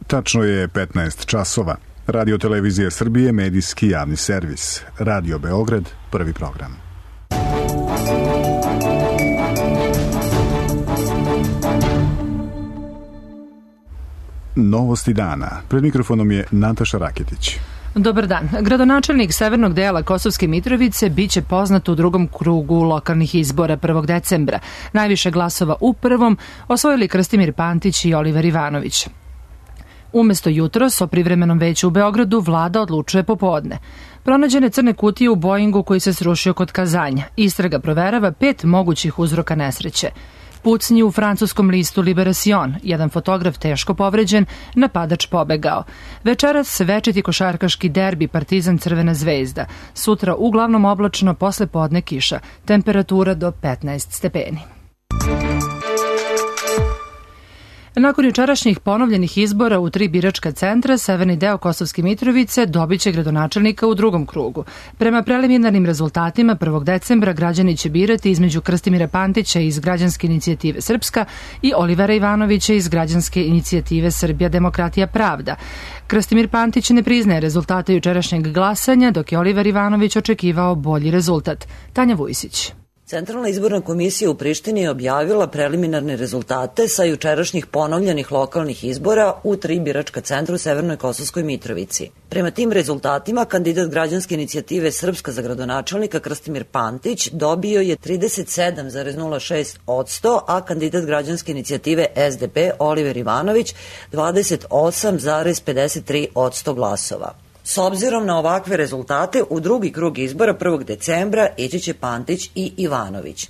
Tačno je 15 časova. Radio Televizija Srbije, medijski javni servis. Radio Beograd, prvi program. Novosti dana. Pred mikrofonom je Nataša Raketić. Dobar dan. Gradonačelnik severnog dela Kosovske Mitrovice biće poznat u drugom krugu lokalnih izbora 1. decembra. Najviše glasova u prvom osvojili Krstimir Pantić i Oliver Ivanović. Umesto jutros o privremenom veću u Beogradu vlada odlučuje popodne. Pronađene crne kutije u Boeingu koji se srušio kod Kazanja. Istraga proverava 5 mogućih uzroka nesreće. Pucnji u francuskom listu Liberation, jedan fotograf teško povređen, napadač pobegao. Večeras večiti košarkaški derbi Partizan Crvena zvezda. Sutra uglavnom oblačno, posle podne kiša. Temperatura do 15 stepeni. Nakon jučerašnjih ponovljenih izbora u 3 biračka centra, severni deo Kosovske Mitrovice dobiće gradonačelnika u drugom krugu. Prema preliminarnim rezultatima 1. decembra građani će birati između Krstimira Pantića iz Građanske inicijative Srpska i Olivera Ivanovića iz Građanske inicijative Srbija, demokratija, pravda. Krstimir Pantić ne priznaje rezultate jučerašnjeg glasanja, dok je Oliver Ivanović očekivao bolji rezultat. Tanja Vujsić. Centralna izborna komisija u Prištini je objavila preliminarne rezultate sa jučerašnjih ponovljenih lokalnih izbora u 3 biračka centra u Severnoj Kosovskoj Mitrovici. Prema tim rezultatima, kandidat Građanske inicijative Srpska za gradonačelnika Krstimir Pantić dobio je 37,06%, a kandidat Građanske inicijative SDP Oliver Ivanović 28,53% glasova. S obzirom na ovakve rezultate, u drugi krug izbora 1. decembra ići će Pantić i Ivanović.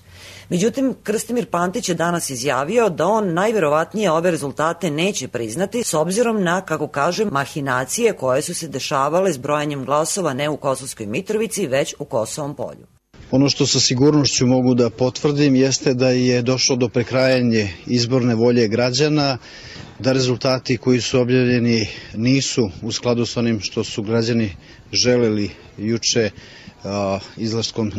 Međutim, Krstimir Pantić je danas izjavio da on najverovatnije ove rezultate neće priznati s obzirom na, kako kaže, mahinacije koje su se dešavale s brojanjem glasova ne u Kosovskoj Mitrovici, već u Kosovom Polju. Ono što sa sigurnošću mogu da potvrdim jeste da je došlo do prekrajanja izborne volje građana, da rezultati koji su objavljeni nisu u skladu s onim što su građani želeli juče izlaskom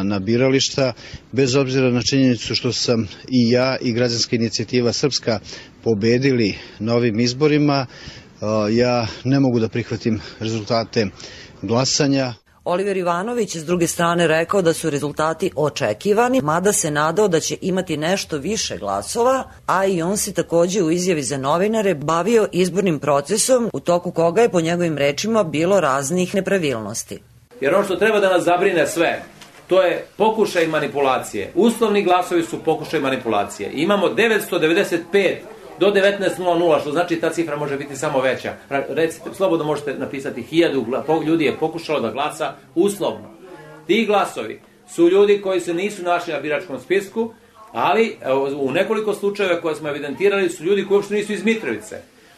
na birališta, bez obzira na činjenicu što sam i ja i Građanska inicijativa Srpska pobedili na ovim izborima, ja ne mogu da prihvatim rezultate glasanja. Oliver Ivanović je s druge strane rekao da su rezultati očekivani, mada se nadao da će imati nešto više glasova, a i on se takođe u izjavi za novinare bavio izbornim procesom, u toku koga je po njegovim rečima bilo raznih nepravilnosti. Jer ono što treba da nas zabrine sve, to je pokušaj manipulacije. Uslovni glasovi su pokušaj manipulacije. Imamo 995 do 19.00, što znači ta cifra može biti samo veća. Recite, slobodno možete napisati 1000 ljudi je pokušalo da glasa uslovno. Ti glasovi su ljudi koji se nisu našli na biračkom spisku, ali u nekoliko slučajeva koje smo evidentirali su ljudi koji uopšte nisu iz Mitrovice.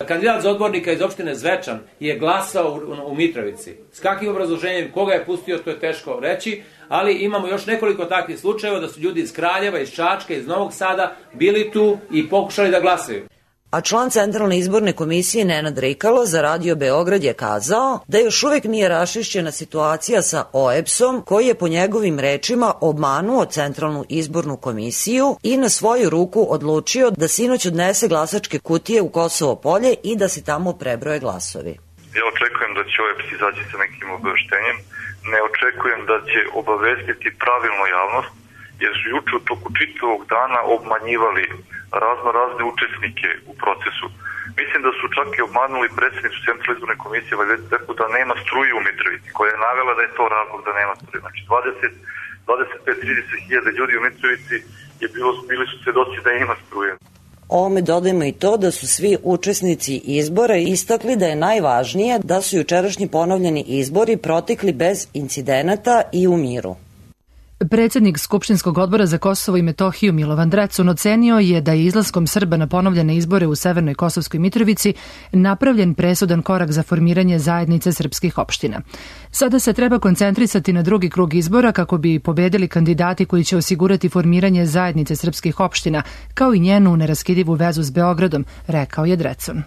Kandidat za odbornika iz opštine Zvečan je glasao u Mitrovici. S kakvim obrazloženjem, koga je pustio, to je teško reći, ali imamo još nekoliko takvih slučajeva da su ljudi iz Kraljeva, iz Čačka, iz Novog Sada bili tu i pokušali da glasaju. A član Centralne izborne komisije Nenad Rikalo za Radio Beograd je kazao da još uvek nije raščišćena situacija sa OEBS-om, koji je po njegovim rečima obmanuo Centralnu izbornu komisiju i na svoju ruku odlučio da sinoć odnese glasačke kutije u Kosovo Polje i da se tamo prebroje glasovi. Ja očekujem da će OEBS izaći sa nekim obaveštenjem, ne očekujem da će obavestiti pravilno javnost, jer su juče u toku čitavog dana obmanjivali razne učesnike u procesu. Mislim da su čak i obmanuli predsjednicu Centralne izborne komisije Valjeteku da nema struje u Mitrovici, koja je navela da je to razlog da nema struje. Znači 25-30 hiljada ljudi u Mitrovici bili su svedoci da ima struje. Ovome dodajemo i to da su svi učesnici izbora istakli da je najvažnije da su jučerašnji ponovljeni izbori protekli bez incidenata i u miru. Predsednik Skupštinskog odbora za Kosovo i Metohiju Milovan Drecun ocenio je da je izlaskom Srba na ponovljene izbore u Severnoj Kosovskoj Mitrovici napravljen presudan korak za formiranje zajednice srpskih opština. Sada se treba koncentrisati na drugi krug izbora kako bi pobedili kandidati koji će osigurati formiranje zajednice srpskih opština, kao i njenu neraskidivu vezu s Beogradom, rekao je Drecun.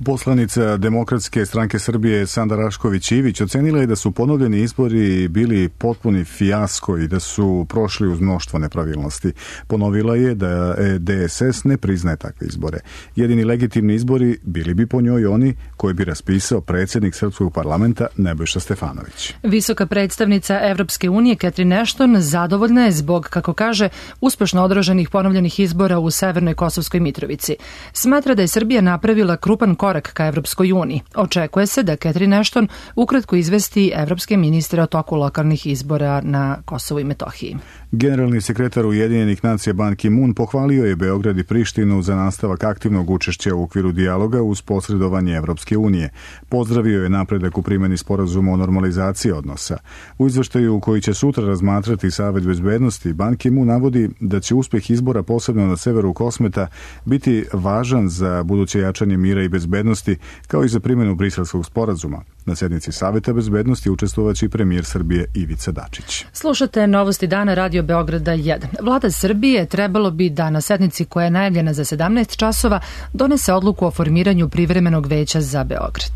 Poslanica Demokratske stranke Srbije Sanda Rašković-Ivić ocenila je da su ponovljeni izbori bili potpuni fijasko i da su prošli uz mnoštvo nepravilnosti. Ponovila je da DSS ne priznaje takve izbore. Jedini legitimni izbori bili bi po njoj oni koje bi raspisao predsjednik Srpskog parlamenta Nebojša Stefanović. Visoka predstavnica Evropske unije Catherine Ashton zadovoljna je zbog, kako kaže, uspešno održanih ponovljenih izbora u Severnoj Kosovskoj Mitrovici. Smatra da je Srbija napravila krupan korak ka Evropskoj uniji. Očekuje se da Catherine Ashton ukratko izvesti evropske ministre o toku lokalnih izbora na Kosovu i Metohiji. Generalni sekretar Ujedinjenih nacija Ban Ki-moon pohvalio je Beograd i Prištinu za nastavak aktivnog učešća u okviru dijaloga uz posredovanje Evropske unije. Pozdravio je napredak u primjeni sporazuma o normalizaciji odnosa. U izveštaju koji će sutra razmatrati Savet bezbednosti, Ban Ki-moon navodi da će uspeh izbora posebno na severu Kosmeta biti važan za buduće jačanje mira i bezbednosti, kao i za primjenu Briselskog sporazuma. Na sednici Saveta bezbednosti učestvovaće i premijer Srbije Ivica Dačić. Slušate Novosti dana Radio Beograda 1. Vlada Srbije trebalo bi da na sednici koja je najavljena za 17 časova donese odluku o formiranju privremenog veća za Beograd.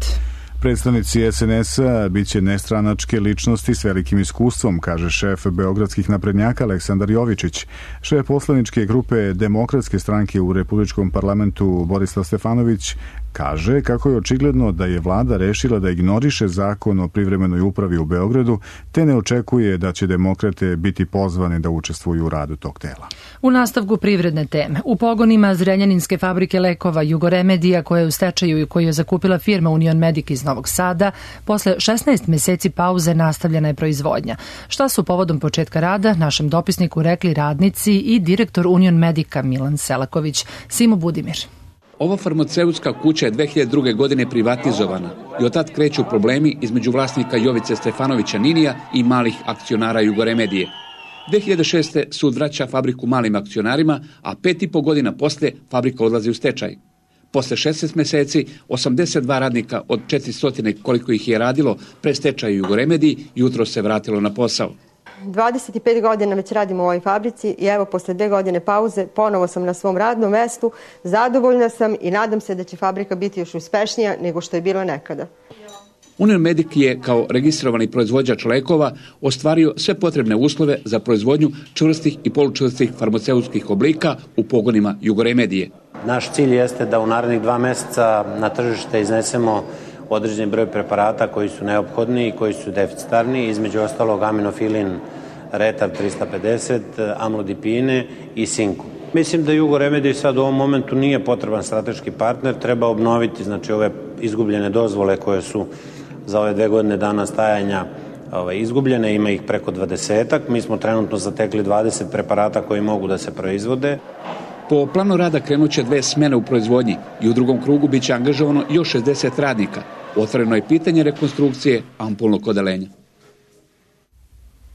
Predstavnici SNS-a biće nestranačke ličnosti s velikim iskustvom, kaže šef beogradskih naprednjaka Aleksandar Jovičić. Šef poslaničke grupe Demokratske stranke u Republičkom parlamentu Borislav Stefanović kaže kako je očigledno da je vlada rešila da ignoriše zakon o privremenoj upravi u Beogradu, te ne očekuje da će demokrate biti pozvani da učestvuju u radu tog tela. U nastavku privredne teme, u pogonima Zrenjaninske fabrike lekova Jugoremedija, koja je u stečaju i koju je zakupila firma Union Medic iz Novog Sada, posle 16 meseci pauze nastavljena je proizvodnja. Šta su povodom početka rada našem dopisniku rekli radnici i direktor Union Medica Milan Selaković. Simo Budimir. Ova farmaceutska kuća je 2002. godine privatizovana i od tad kreću problemi između vlasnika Jovice Stefanovića Ninija i malih akcionara Jugoremedije. 2006. sud vraća fabriku malim akcionarima, a 5,5 godina posle fabrika odlazi u stečaj. Posle 16 meseci, 82 radnika od 400 koliko ih je radilo pre stečaju Jugoremediji jutro se vratilo na posao. 25 godina već radim u ovoj fabrici i evo posle 2 godine pauze ponovo sam na svom radnom mestu, zadovoljna sam i nadam se da će fabrika biti još uspešnija nego što je bilo nekada. Union Medic je kao registrovani proizvođač lekova ostvario sve potrebne uslove za proizvodnju čvrstih i polučvrstih farmaceutskih oblika u pogonima Jugoremedije. Naš cilj jeste da u narednih 2 meseca na tržište iznesemo određeni broj preparata koji su neophodni i koji su deficitarni, između ostalog aminofilin Retar 350, amlodipine i sinku. Mislim da Jugoremediji sad u ovom momentu nije potreban strateški partner, treba obnoviti ove izgubljene dozvole koje su za ove 2 godine dana stajanja izgubljene, ima ih preko 20-ak, mi smo trenutno zatekli 20 preparata koji mogu da se proizvode. Po planu rada krenuće 2 smene u proizvodnji i u drugom krugu biće angažovano još 60 radnika. Otvoreno je pitanje rekonstrukcije ampulnog odeljenja.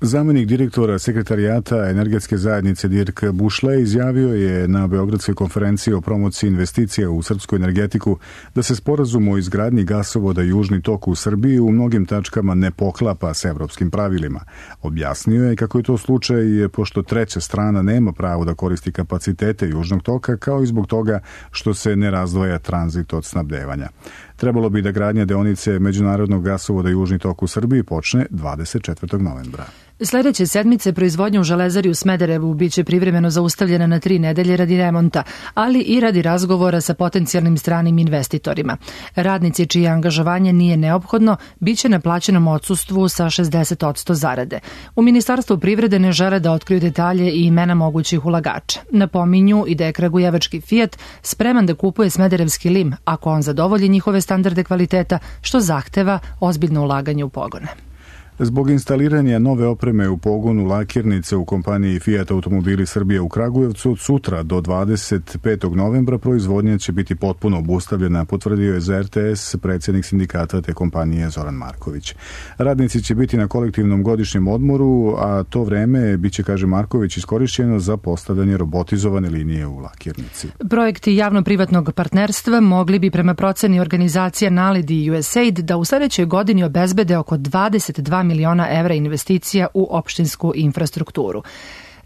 Zamenik direktora Sekretarijata energetske zajednice Dirk Bušle izjavio je na Beogradskoj konferenciji o promociji investicija u srpsku energetiku da se sporazum o izgradnji gasovoda Južni tok u Srbiji u mnogim tačkama ne poklapa s evropskim pravilima. Objasnio je kako je to slučaj pošto treća strana nema pravo da koristi kapacitete Južnog toka, kao i zbog toga što se ne razdvaja tranzit od snabdevanja. Trebalo bi da gradnja deonice međunarodnog gasovoda Južni tok u Srbiji počne 24. novembra. Sljedeće sedmice proizvodnja u Železari u Smederevu biće privremeno zaustavljena na 3 nedelje radi remonta, ali i radi razgovora sa potencijalnim stranim investitorima. Radnici čije angažovanje nije neophodno biće na plaćenom odsustvu sa 60% zarade. U Ministarstvu privrede ne žele da otkriju detalje i imena mogućih ulagača. Napominju i da je kragujevački Fiat spreman da kupuje smederevski lim ako on zadovolji njihove standarde kvaliteta, što zahteva ozbiljno ulaganje u pogone. Zbog instaliranja nove opreme u pogonu lakirnice u kompaniji Fiat Automobili Srbije u Kragujevcu od sutra do 25. novembra proizvodnja će biti potpuno obustavljena, potvrdio je za RTS predsjednik sindikata te kompanije Zoran Marković. Radnici će biti na kolektivnom godišnjem odmoru, a to vreme biće, kaže Marković, iskorišćeno za postavljanje robotizovane linije u lakirnici. Projekti javno-privatnog partnerstva mogli bi prema proceni organizacija NALED i USAID da u sljedećoj godini obezbede oko 22 miliona evra investicija u opštinsku infrastrukturu.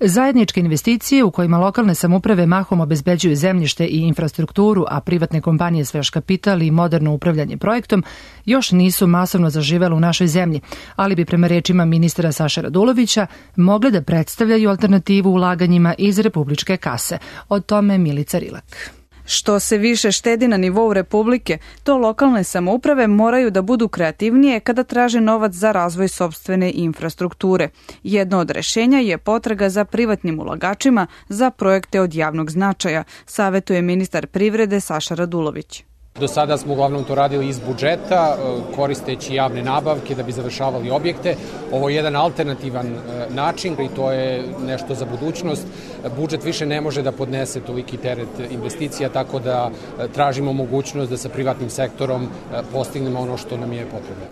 Zajedničke investicije u kojima lokalne samouprave mahom obezbeđuju zemljište i infrastrukturu, a privatne kompanije sveš kapital i moderno upravljanje projektom, još nisu masovno zaživele u našoj zemlji, ali bi prema rečima ministra Saše Radulovića mogle da predstavljaju alternativu ulaganjima iz republičke kase. O tome Milica Rilak. Što se više štedi na nivou Republike, to lokalne samouprave moraju da budu kreativnije kada traže novac za razvoj sopstvene infrastrukture. Jedno od rešenja je potraga za privatnim ulagačima za projekte od javnog značaja, savetuje ministar privrede Saša Radulović. Do sada smo uglavnom to radili iz budžeta, koristeći javne nabavke da bi završavali objekte. Ovo je jedan alternativan način i to je nešto za budućnost. Budžet više ne može da podnese toliki teret investicija, tako da tražimo mogućnost da sa privatnim sektorom postignemo ono što nam je potrebno.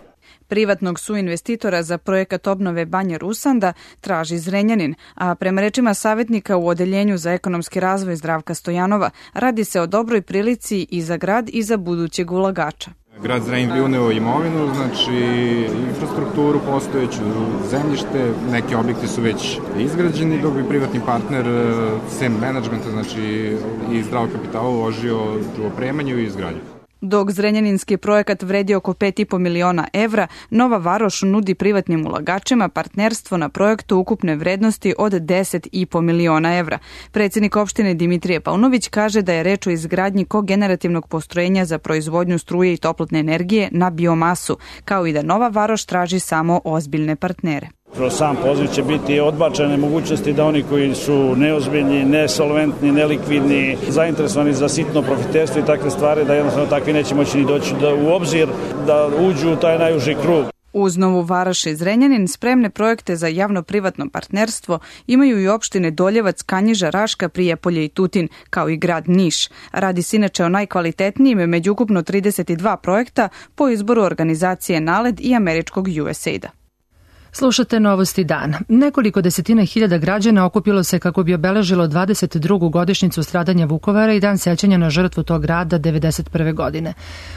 Privatnog suinvestitora za projekat obnove Banje Rusanda traži Zrenjanin, a prema rečima savjetnika u Odeljenju za ekonomski razvoj Zdravka Stojanova, radi se o dobroj prilici i za grad i za budućeg ulagača. Grad Zrenjanin bi uneo imovinu, znači infrastrukturu postojeću, zemljište, neki objekti su već izgrađeni, dok bi privatni partner sem menadžmenta, znači i zdravog kapitala uložio u opremanju i izgradnju. Dok zrenjaninski projekat vredi oko 5,5 miliona evra, Nova Varoš nudi privatnim ulagačima partnerstvo na projektu ukupne vrednosti od 10,5 miliona evra. Predsjednik opštine Dimitrije Paunović kaže da je reč o izgradnji kogenerativnog postrojenja za proizvodnju struje i toplotne energije na biomasu, kao i da Nova Varoš traži samo ozbiljne partnere. Kroz sam poziv će biti odbačene mogućnosti da oni koji su neozbiljni, nesolventni, nelikvidni, zainteresovani za sitno profiterstvo i takve stvari, da jednostavno takvi neće moći ni doći u obzir da uđu u taj najuži krug. Uz Novu Varoš i Zrenjanin spremne projekte za javno-privatno partnerstvo imaju i opštine Doljevac, Kanjiža, Raška, Prijepolje i Tutin, kao i grad Niš. Radi se inače o najkvalitetnijim među ukupno 32 projekta po izboru organizacije NALED i američkog USAID-a. Slušate Novosti dana. Nekoliko desetina hiljada građana okupilo se kako bi obeležilo 22. godišnjicu stradanja Vukovara i dan sećanja na žrtvu tog grada 1991. godine.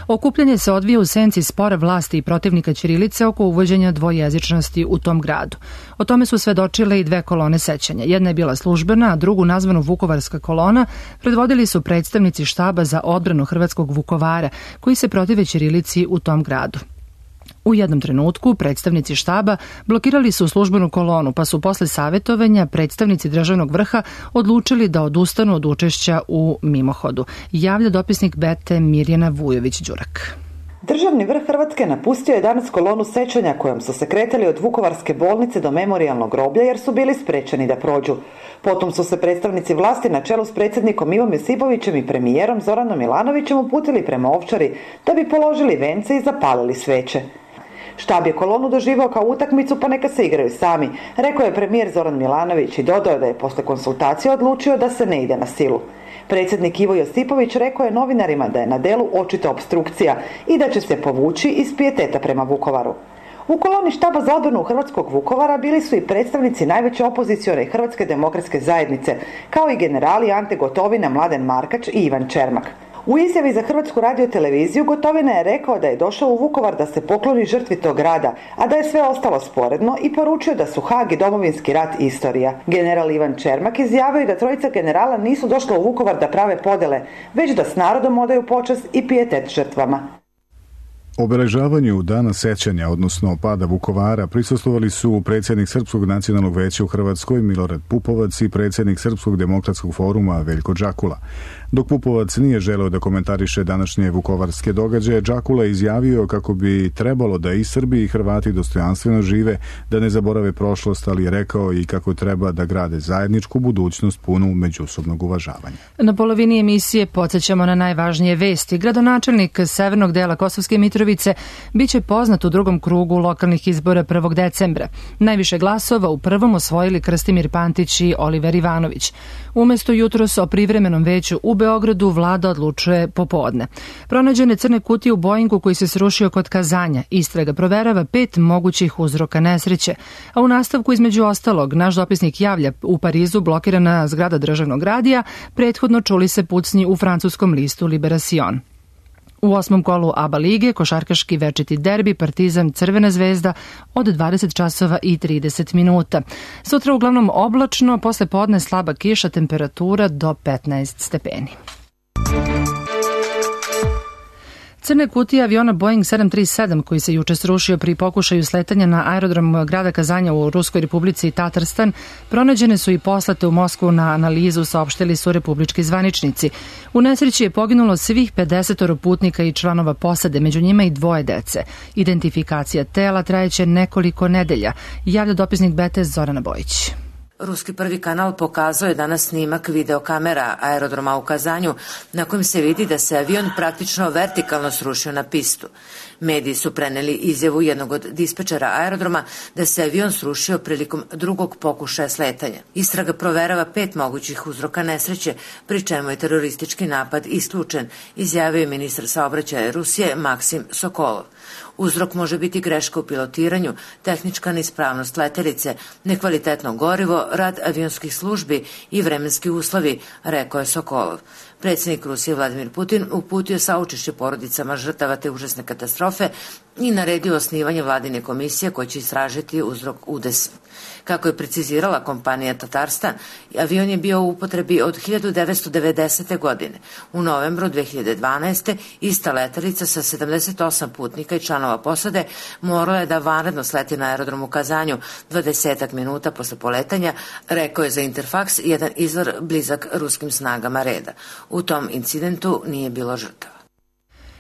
Okupljanje se odvija u senci spora vlasti i protivnika ćirilice oko uvođenja dvojezičnosti u tom gradu. O tome su svedočile i dve kolone sećanja. Jedna je bila službena, a drugu, nazvanu Vukovarska kolona, predvodili su predstavnici štaba za odbranu hrvatskog Vukovara, koji se protive ćirilici u tom gradu. U jednom trenutku predstavnici štaba blokirali su službenu kolonu, pa su posle savetovanja predstavnici državnog vrha odlučili da odustanu od učešća u mimohodu. Javlja dopisnik Bete Mirjana Vujović-Đurak. Državni vrh Hrvatske napustio je danas kolonu sećanja kojom su se kretali od Vukovarske bolnice do memorijalnog groblja jer su bili sprečeni da prođu. Potom su se predstavnici vlasti na čelu s predsjednikom Ivom Josipovićem i premijerom Zoranom Milanovićem uputili prema Ovčari da bi položili vence i zapalili sveće. Štab je kolonu doživao kao utakmicu, pa neka se igraju sami, rekao je premijer Zoran Milanović i dodao da je posle konsultacije odlučio da se ne ide na silu. Predsjednik Ivo Josipović rekao je novinarima da je na delu očita opstrukcija i da će se povući iz pijeteta prema Vukovaru. U koloni štaba za odbranu hrvatskog Vukovara bili su i predstavnici najveće opozicione Hrvatske demokratske zajednice, kao i generali Ante Gotovina, Mladen Markač i Ivan Čermak. U izjavi za Hrvatsku radioteleviziju Gotovina je rekao da je došao u Vukovar da se pokloni žrtvi tog grada, a da je sve ostalo sporedno i poručio da su Hag i Domovinski rat istorija. General Ivan Čermak izjavio je da trojica generala nisu došla u Vukovar da prave podele, već da s narodom odaju počast i pijetet žrtvama. Obeležavanju dana sećanja, odnosno pada Vukovara, prisustvovali su predsjednik Srpskog nacionalnog veća u Hrvatskoj Milorad Pupovac i predsjednik Srpskog demokratskog foruma Veljko Džakula. Dok Pupovac nije želeo da komentariše današnje vukovarske događaje, Džakula je izjavio kako bi trebalo da i Srbi i Hrvati dostojanstveno žive, da ne zaborave prošlost, ali je rekao i kako treba da grade zajedničku budućnost punu međusobnog uvažavanja. Na polovini emisije podsjećamo na najvažnije vesti. Gradonačelnik severnog dela Kosovske Mitrovice biće poznat u drugom krugu lokalnih izbora 1. decembra. Najviše glasova u prvom osvojili Krstimir Pantić i Oliver Ivanović. Umesto jutros o privremenom veću u Beogradu vlada odlučuje popodne. Pronađene crne kutije u Boeingu koji se srušio kod Kazanja. Istraga proverava 5 mogućih uzroka nesreće. A u nastavku, između ostalog, naš dopisnik javlja u Parizu blokirana zgrada državnog radija, prethodno čuli se pucnji u francuskom listu Libération. U 8. kolu ABA lige košarkaški večiti derbi Partizan Crvena zvezda od 20 časova i 30 minuta. Sutra uglavnom oblačno, posle podne slaba kiša, temperatura do 15 stepeni. Crne kutije aviona Boeing 737 koji se juče srušio pri pokušaju sletanja na aerodrom grada Kazanja u Ruskoj Republici Tatarstan pronađene su i poslate u Moskvu na analizu, saopštili su republički zvaničnici. U nesreći je poginulo svih 50 putnika i članova posade, među njima i 2 dece. Identifikacija tela trajeće nekoliko nedelja, javlja dopisnik BT Zorana Bojić. Ruski prvi kanal pokazao je danas snimak videokamera aerodroma u Kazanju na kojem se vidi da se avion praktično vertikalno srušio na pistu. Mediji su preneli izjavu jednog od dispečera aerodroma da se avion srušio prilikom drugog pokušaja sletanja. Istraga proverava 5 mogućih uzroka nesreće, pri čemu je teroristički napad isključen, izjavio je ministar saobraćaja Rusije Maksim Sokolov. Uzrok može biti greška u pilotiranju, tehnička neispravnost letelice, nekvalitetno gorivo, rad avionskih službi i vremenski uslovi, rekao je Sokolov. Predsjednik Rusije Vladimir Putin uputio saučešće porodicama žrtava te užasne katastrofe i naredio osnivanje vladine komisije koja će istražiti uzrok udesa. Kako je precizirala kompanija Tatarstan, avion je bio u upotrebi od 1990. godine. U novembru 2012. ista letelica sa 78 putnika i članova posade morala je da vanredno sleti na aerodrom u Kazanju 20 minuta posle poletanja, rekao je za Interfax jedan izvor blizak ruskim snagama reda. U tom incidentu nije bilo žrtava.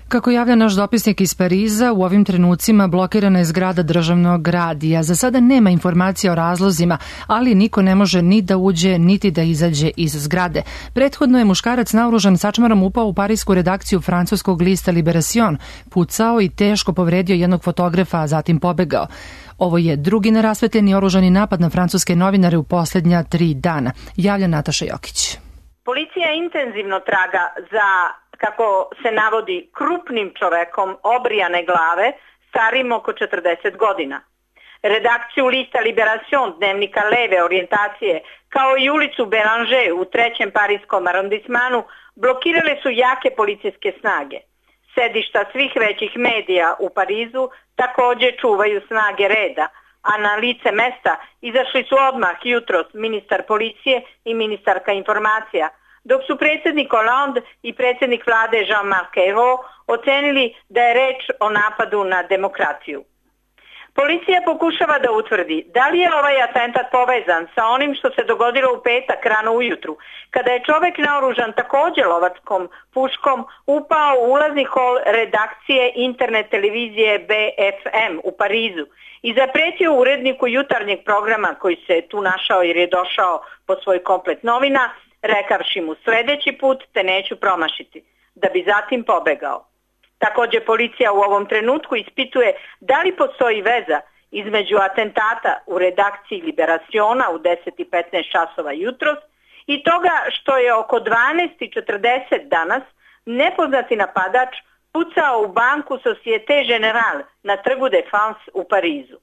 Kako javlja naš dopisnik iz Pariza, u ovim trenucima blokirana je zgrada državnog radija. Za sada nema informacija o razlozima, ali niko ne može ni da uđe, niti da izađe iz zgrade. Prethodno je muškarac naoružan sačmarom upao u parisku redakciju francuskog lista Libération, pucao i teško povredio jednog fotografa, a zatim pobegao. Ovo je drugi nerasvetljeni oružani napad na francuske novinare u posljednja 3 dana, javlja Nataša Jokić. Policija intenzivno traga za, kako se navodi, krupnim čovekom obrijane glave starim oko 40 godina. Redakciju lista Libération, dnevnika leve orijentacije, kao i ulicu Bélanger u 3. parijskom arondismanu blokirale su jake policijske snage. Sedišta svih većih medija u Parizu također čuvaju snage reda, a na lice mesta izašli su odmah jutros ministar policije i ministarka informacija, dok su predsjednik Hollande i predsjednik vlade Jean-Marc Ayrault ocenili da je reč o napadu na demokraciju. Policija pokušava da utvrdi da li je ovaj atentat povezan sa onim što se dogodilo u petak rano ujutru, kada je čovek naoružan također lovačkom puškom upao u ulazni hol redakcije internet televizije BFM u Parizu i zapretio uredniku jutarnjeg programa koji se tu našao jer je došao po svoj komplet novina, rekavši mu sljedeći put te neću promašiti, da bi zatim pobegao. Također policija u ovom trenutku ispituje da li postoji veza između atentata u redakciji Liberaciona u 10:15 časova jutros i toga što je oko 12:40 danas nepoznati napadač pucao u banku Societe Generale na trgu de France u Parizu.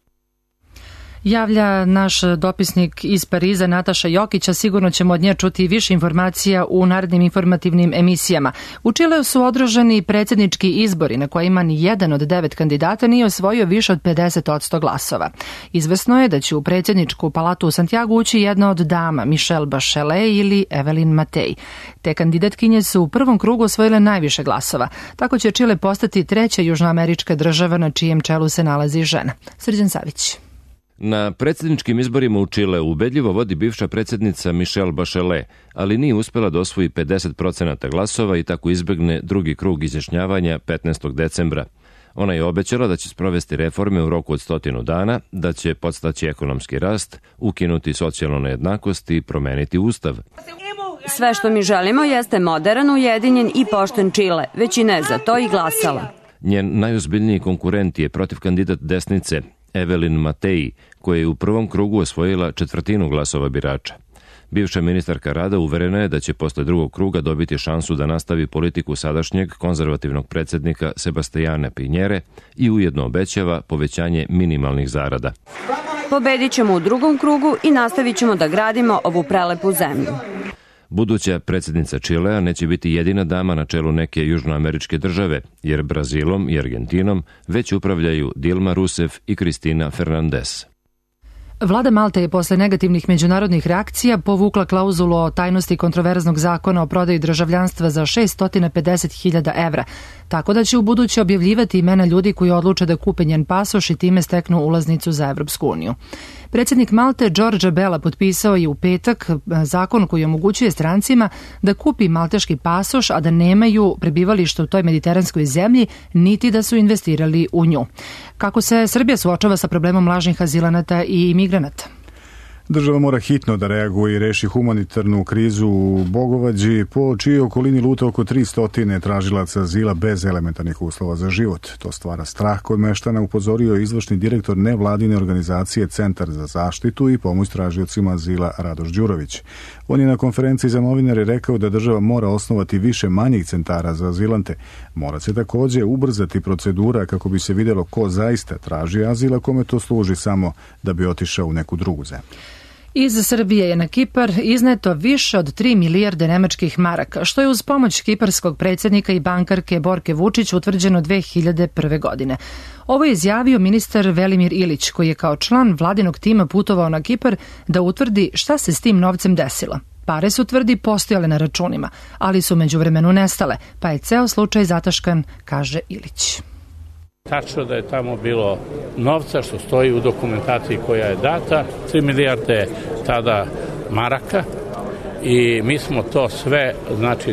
Javlja naš dopisnik iz Pariza Nataša Jokića, sigurno ćemo od nje čuti više informacija u narednim informativnim emisijama. U Čileu su održani predsjednički izbori na kojima ni jedan od 9 kandidata nije osvojio više od 50% glasova. Izvesno je da će u predsjedničku palatu u Santiagu ući jedna od dama, Michelle Bachelet ili Evelyn Matei. Te kandidatkinje su u prvom krugu osvojile najviše glasova. Tako će Čile postati 3. južnoamerička država na čijem čelu se nalazi žena. Srđan Savić. Na predsjedničkim izborima u Čileu ubedljivo vodi bivša predsjednica Michelle Bachelet, ali nije uspjela da osvoji 50% glasova i tako izbegne drugi krug izjašnjavanja 15. decembra. Ona je obećala da će sprovesti reforme u roku od 100 dana, da će podstaći ekonomski rast, ukinuti socijalnu nejednakost i promeniti ustav. Sve što mi želimo jeste modern, ujedinjen i pošten Čile. Većina je za to i glasala. Njen najozbiljniji konkurent je protiv kandidat desnice, Evelyn Matei, koja je u prvom krugu osvojila 1/4 glasova birača. Bivša ministarka rada uverena je da će posle drugog kruga dobiti šansu da nastavi politiku sadašnjeg konzervativnog predsjednika Sebastiana Pinjere i ujedno obećava povećanje minimalnih zarada. Pobedit ćemo u drugom krugu i nastavit ćemo da gradimo ovu prelepu zemlju. Buduća predsjednica Čilea neće biti jedina dama na čelu neke južnoameričke države, jer Brazilom i Argentinom već upravljaju Dilma Rousseff i Cristina Fernandez. Vlada Malte je posle negativnih međunarodnih reakcija povukla klauzulu o tajnosti kontroverznog zakona o prodaji državljanstva za 650.000 evra, tako da će u buduće objavljivati imena ljudi koji odluče da kupe njen pasoš i time steknu ulaznicu za Evropsku uniju. Predsjednik Malte Đorđe Bela potpisao je u petak zakon koji omogućuje strancima da kupi malteški pasoš, a da nemaju prebivalište u toj mediteranskoj zemlji, niti da su investirali u nju. Kako se Srbija suočava sa problemom lažnih azilanata i imigranata? Država mora hitno da reaguje i reši humanitarnu krizu u Bogovađi, po čijoj okolini luta oko 300 tražilaca azila bez elementarnih uslova za život. To stvara strah kod meštana, upozorio je izvršni direktor nevladine organizacije Centar za zaštitu i pomoć tražiocima azila Radoš Đurović. On je na konferenciji za novinare rekao da država mora osnovati više manjih centara za azilante. Mora se također ubrzati procedura kako bi se vidjelo ko zaista traži azil, a kome to služi samo da bi otišao u neku drugu zemlju. Iz Srbije je na Kipar izneto više od 3 milijarde nemačkih maraka, što je uz pomoć kiparskog predsjednika i bankarke Borke Vučić utvrđeno 2001. godine. Ovo je izjavio ministar Velimir Ilić, koji je kao član vladinog tima putovao na Kipar da utvrdi šta se s tim novcem desilo. Pare su, tvrdi, postojale na računima, ali su međuvremenu nestale, pa je ceo slučaj zataškan, kaže Ilić. Tačno da je tamo bilo novca što stoji u dokumentaciji koja je data, 3 milijarde tada maraka i mi smo to sve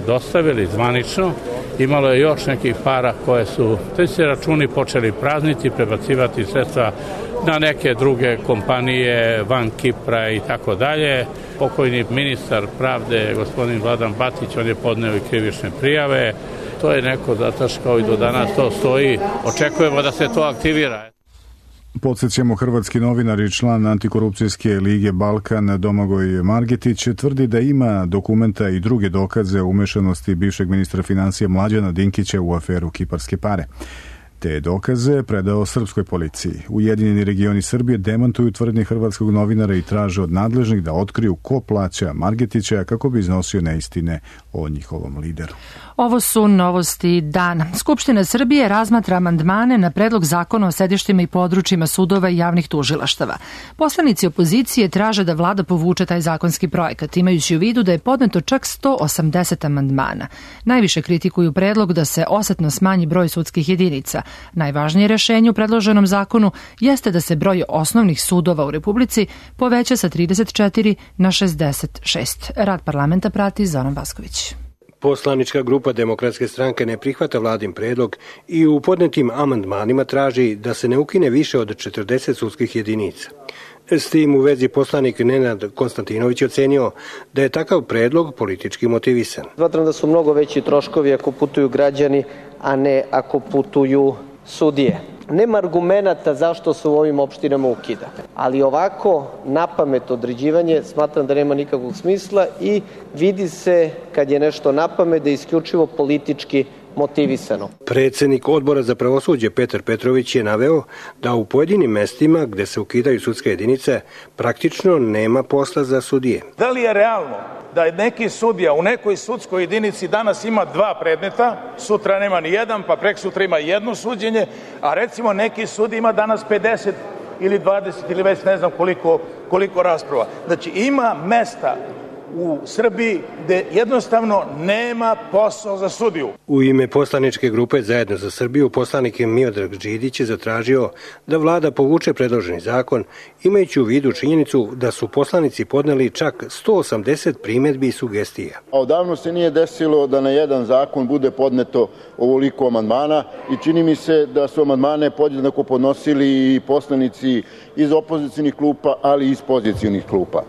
dostavili zvanično. Imalo je još nekih para koje su se računi počeli prazniti, prebacivati sredstva na neke druge kompanije van Kipra i tako dalje. Pokojni ministar pravde, gospodin Vladan Batić, on je podneo i krivične prijave. To je neko zataškao i do danas to stoji. Očekujemo da se to aktivira. Podsjećamo, hrvatski novinar i član Antikorupcijske lige Balkan Domagoj Margetić tvrdi da ima dokumenta i druge dokaze o umešanosti bivšeg ministra financija Mlađana Dinkića u aferu Kiparske pare. Te dokaze predao srpskoj policiji. Ujedinjeni regioni Srbije demantuju tvrdnje hrvatskog novinara i traže od nadležnih da otkriju ko plaća Margetića kako bi iznosio neistine o njihovom lideru. Ovo su novosti dana. Skupština Srbije razmatra amandmane na predlog zakona o sedištima i područjima sudova i javnih tužilaštava. Poslanici opozicije traže da vlada povuče taj zakonski projekat, imajući u vidu da je podneto čak 180 amandmana. Najviše kritikuju predlog da se osetno smanji broj sudskih jedinica. Najvažnije rešenje u predloženom zakonu jeste da se broj osnovnih sudova u Republici poveća sa 34 na 66. Rad parlamenta prati Zoran Vasković. Poslanička grupa Demokratske stranke ne prihvata vladin predlog i u podnetim amandmanima traži da se ne ukine više od 40 sudskih jedinica. S tim u vezi poslanik Nenad Konstantinović ocenio da je takav predlog politički motivisan. Smatram da su mnogo veći troškovi ako putuju građani, a ne ako putuju sudije. Nema argumenata zašto se u ovim opštinama ukida, ali ovako napamet određivanje smatram da nema nikakvog smisla i vidi se kad je nešto napamet da je isključivo politički motivisano. Predsjednik odbora za pravosuđe Petar Petrović je naveo da u pojedinim mestima gde se ukidaju sudske jedinice praktično nema posla za sudije. Da li je realno da neki sudija u nekoj sudskoj jedinici danas ima 2 predmeta, sutra nema ni jedan, pa prek sutra ima jedno suđenje, a recimo neki sudija ima danas 50 ili 20 ili već ne znam koliko rasprava. Znači ima mesta u Srbiji gde jednostavno nema posao za sudiju. U ime poslaničke grupe Zajedno za Srbiju poslanik Miodrag Đidić je zatražio da vlada povuče predloženi zakon, imajući u vidu činjenicu da su poslanici podneli čak 180 primjedbi i sugestija. Odavno se nije desilo da na jedan zakon bude podneto ovoliko amandmana i čini mi se da su amandmane podjednako podnosili i poslanici iz opozicionih klupa, ali i iz pozicionih klupa.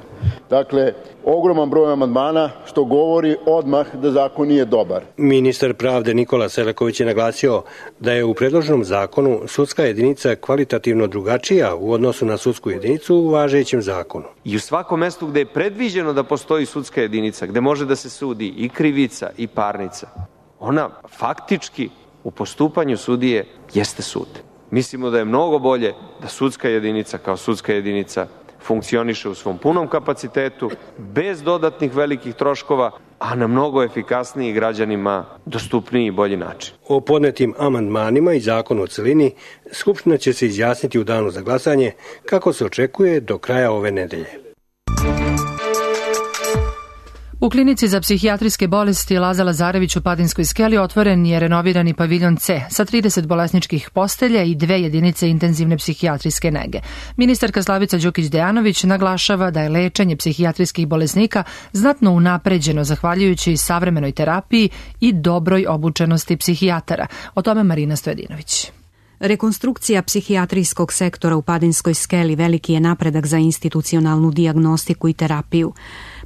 Dakle, ogroman broj amandmana što govori odmah da zakon nije dobar. Ministar pravde Nikola Selaković je naglasio da je u predloženom zakonu sudska jedinica kvalitativno drugačija u odnosu na sudsku jedinicu u važećem zakonu. I u svakom mestu gde je predviđeno da postoji sudska jedinica, gde može da se sudi i krivica i parnica, ona faktički u postupanju sudije jeste sud. Mislimo da je mnogo bolje da sudska jedinica kao sudska jedinica funkcioniše u svom punom kapacitetu, bez dodatnih velikih troškova, a na mnogo efikasniji, građanima dostupniji i bolji način. O podnetim amandmanima i zakonu o celini Skupština će se izjasniti u danu za glasanje, kako se očekuje, do kraja ove nedelje. U klinici za psihijatrijske bolesti Laza Lazarević u Padinskoj Skeli otvoren je renovirani paviljon C sa 30 bolesničkih postelja i 2 jedinice intenzivne psihijatrijske nege. Ministarka Slavica Đukić-Dejanović naglašava da je lečenje psihijatrijskih bolesnika znatno unapređeno zahvaljujući savremenoj terapiji i dobroj obučenosti psihijatara. O tome Marina Stojadinović. Rekonstrukcija psihijatrijskog sektora u Padinskoj Skeli veliki je napredak za institucionalnu dijagnostiku i terapiju.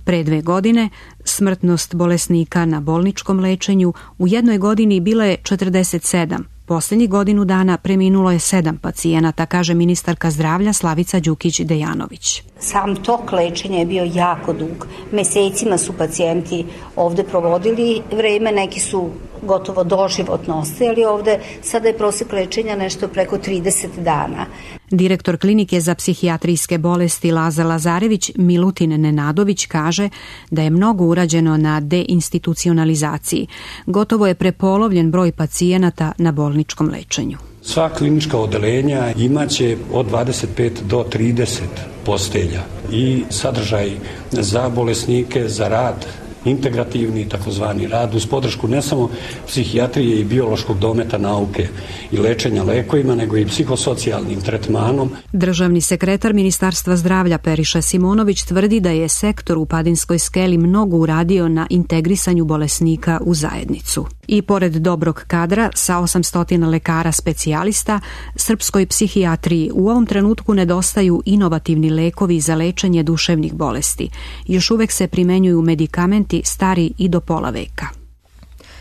Pre 2 godine smrtnost bolesnika na bolničkom lečenju u jednoj godini bila je 47. Poslednjih godinu dana preminulo je 7 pacijenata, kaže ministarka zdravlja Slavica Đukić-Dejanović. Sam tok lečenja je bio jako dug. Mesecima su pacijenti ovde provodili vreme, neki su gotovo doživotno ostajali ovde. Sada je prosek lečenja nešto preko 30 dana. Direktor klinike za psihijatrijske bolesti Laza Lazarević Milutin Nenadović kaže da je mnogo urađeno na deinstitucionalizaciji. Gotovo je prepolovljen broj pacijenata na bolničkom lečenju. Sva klinička odeljenja imaće od 25 do 30 postelja i sadržaj za bolesnike, za rad, integrativni takozvani rad uz podršku ne samo psihijatrije i biološkog dometa nauke i lečenja lekovima, nego i psihosocijalnim tretmanom. Državni sekretar Ministarstva zdravlja Periša Simonović tvrdi da je sektor u Padinskoj Skeli mnogo uradio na integrisanju bolesnika u zajednicu. I pored dobrog kadra sa 800 lekara specijalista, srpskoj psihijatriji u ovom trenutku nedostaju inovativni lekovi za lečenje duševnih bolesti. Još uvek se primenjuju medikamenti stari i do pola veka.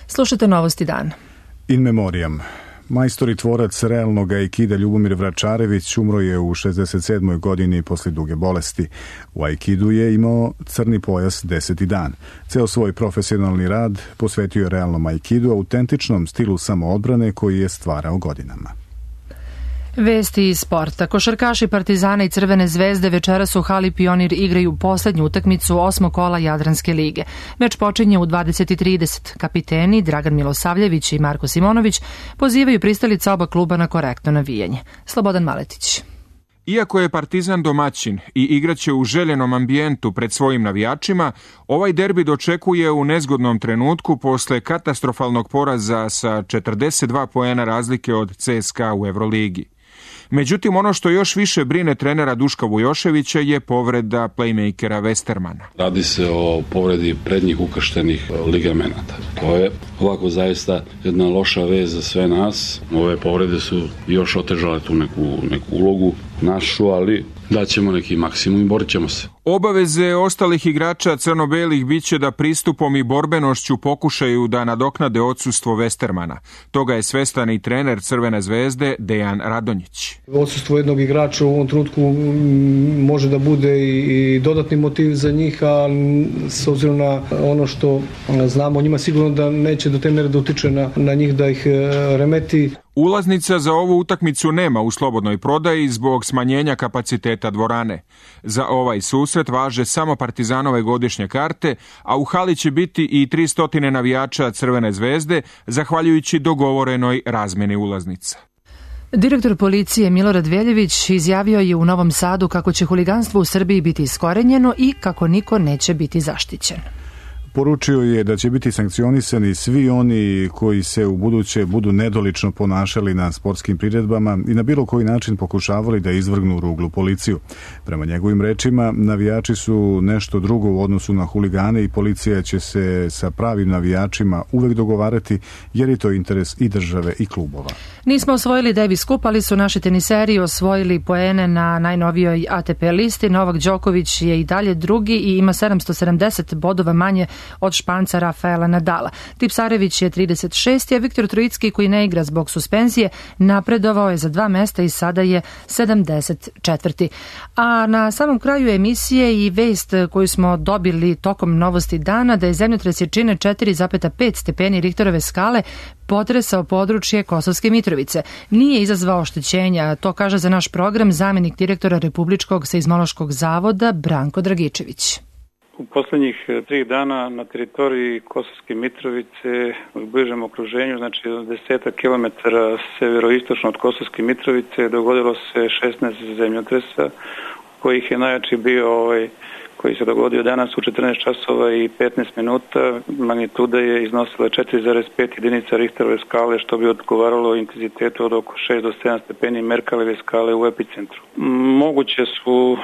Slušajte novosti dana. In memoriam. Majstor i tvorac realnog aikida Ljubomir Vračarević umro je u 67. godini posle duge bolesti. U aikidu je imao crni pojas 10. dan. Ceo svoj profesionalni rad posvetio je realnom aikidu, autentičnom stilu samoodbrane koji je stvarao godinama. Vesti iz sporta. Košarkaši Partizana i Crvene zvezde večeras u hali Pionir igraju poslednju utakmicu 8. kola Jadranske lige. Meč počinje u 20:30. Kapiteni Dragan Milosavljević i Marko Simonović pozivaju pristalice oba kluba na korektno navijanje. Slobodan Maletić. Iako je Partizan domaćin i igraće u željenom ambijentu pred svojim navijačima, ovaj derbi dočekuje u nezgodnom trenutku posle katastrofalnog poraza sa 42 poena razlike od CSKA u Evroligi. Međutim, ono što još više brine trenera Duška Vujoševića je povreda playmakera Westermana. Radi se o povredi prednjih ukrštenih ligamenata. To je ovako zaista jedna loša vez za sve nas. Ove povrede su još otežale tu neku ulogu našu, ali daćemo neki maksimum i borit ćemo se. Obaveze ostalih igrača crno-belih biće da pristupom i borbenošću pokušaju da nadoknade odsustvo Westermana. Toga je svestan i trener Crvene zvezde Dejan Radonjić. Odsustvo jednog igrača u ovom trenutku može da bude i dodatni motiv za njih, a s obzirom na ono što znamo o njima, sigurno da neće do te mere da utiče na njih da ih remeti. Ulaznica za ovu utakmicu nema u slobodnoj prodaji zbog smanjenja kapaciteta dvorane. Za ovaj susret važe samo Partizanove godišnje karte, a u hali će biti i 300 navijača Crvene zvezde, zahvaljujući dogovorenoj razmeni ulaznica. Direktor policije Milorad Veljević izjavio je u Novom Sadu kako će huliganstvo u Srbiji biti iskorenjeno i kako niko neće biti zaštićen. Poručio je da će biti sankcionisani svi oni koji se u buduće budu nedolično ponašali na sportskim priredbama i na bilo koji način pokušavali da izvrgnu ruglu policiju. Prema njegovim rečima, navijači su nešto drugo u odnosu na huligane i policija će se sa pravim navijačima uvek dogovarati jer je to interes i države i klubova. Nismo osvojili Davis Cup, ali su naši teniseri osvojili poene na najnovijoj ATP listi. Novak Đoković je i dalje drugi i ima 770 bodova manje od Španca Rafaela Nadala. Tipsarević je 36. a Viktor Trojicki, koji ne igra zbog suspenzije, napredovao je za 2 mesta i sada je 74. A na samom kraju emisije i vest koju smo dobili tokom novosti dana da je zemljotres jačine 4,5 stepeni Richterove skale potresao područje Kosovske Mitrovice. Nije izazvao oštećenja, to kaže za naš program zamenik direktora Republičkog seizmološkog zavoda Branko Dragičević. U poslednjih 3 dana na teritoriji Kosovske Mitrovice u bližem okruženju, znači 10 km severoistočno od Kosovske Mitrovice, dogodilo se 16 zemljotresa, kojih je najjači bio koji se dogodio danas u 14 časova i 15 minuta. Magnituda je iznosila 4,5 jedinica Richterove skale, što bi odgovaralo intenzitetu od oko 6 do 7 stepeni Merkalove skale u epicentru. Moguće su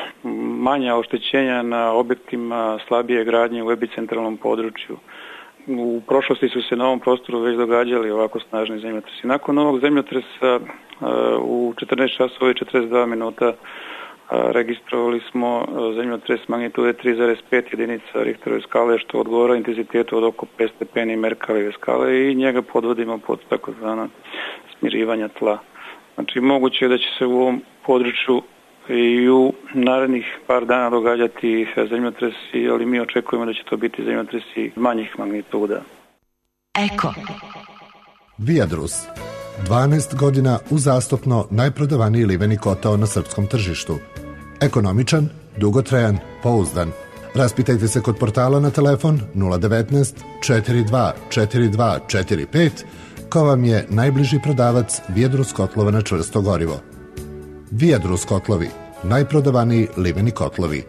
manja oštećenja na objektima slabije gradnje u epicentralnom području. U prošlosti su se na ovom prostoru već događali ovako snažni zemljotresi. Nakon ovog zemljotresa u 14 časova i 42 minuta registrovali smo zemljotres magnitude 3,5 jedinica Richterove skale, što odgovara intenzitetu od oko 5 stepeni Merkalove skale i njega podvodimo pod takozvana smirivanja tla. Znači moguće je da će se u ovom području i u narednih par dana događati zemljotresi, ali mi očekujemo da će to biti zemljotresi manjih magnituda. Eko Viadrus 12 godina uzastopno najprodavaniji liveni kotao na srpskom tržištu. Ekonomičan, dugotrajan, pouzdan. Raspitajte se kod portala na telefon 019 42 42 45 ko vam je najbliži prodavac Viadrus kotlova na čvrsto gorivo. Viadrus kotlovi, najprodavaniji liveni kotlovi.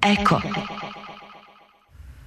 Eko.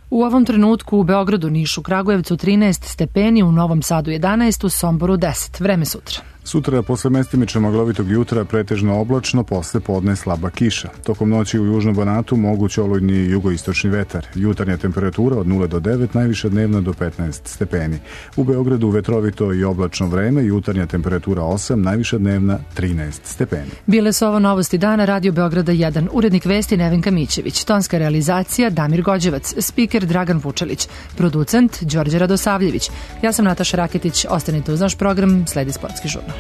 U ovom trenutku u Beogradu, Nišu, Kragujevcu 13 stepeni, u Novom Sadu 11, u Somboru 10. Vreme sutra. Sutra posle mestimično maglovitog jutra pretežno oblačno, posle podne slaba kiša. Tokom noći u južnom Banatu moguć olujni jugoistočni vetar. Jutarnja temperatura od 0 do 9, najviša dnevna do 15 stepeni. U Beogradu vetrovito i oblačno vreme, jutarnja temperatura 8, najviša dnevna 13 stepeni. Bile su ovo novosti dana Radio Beograda 1. Urednik vesti Nevenka Mićević. Tonska realizacija Damir Gođevac. Spiker Dragan Vučelić. Producent Đorđe Radosavljević. Ja sam Nataša Raketić. Ostanite uz naš program, sledi sportski žurnal.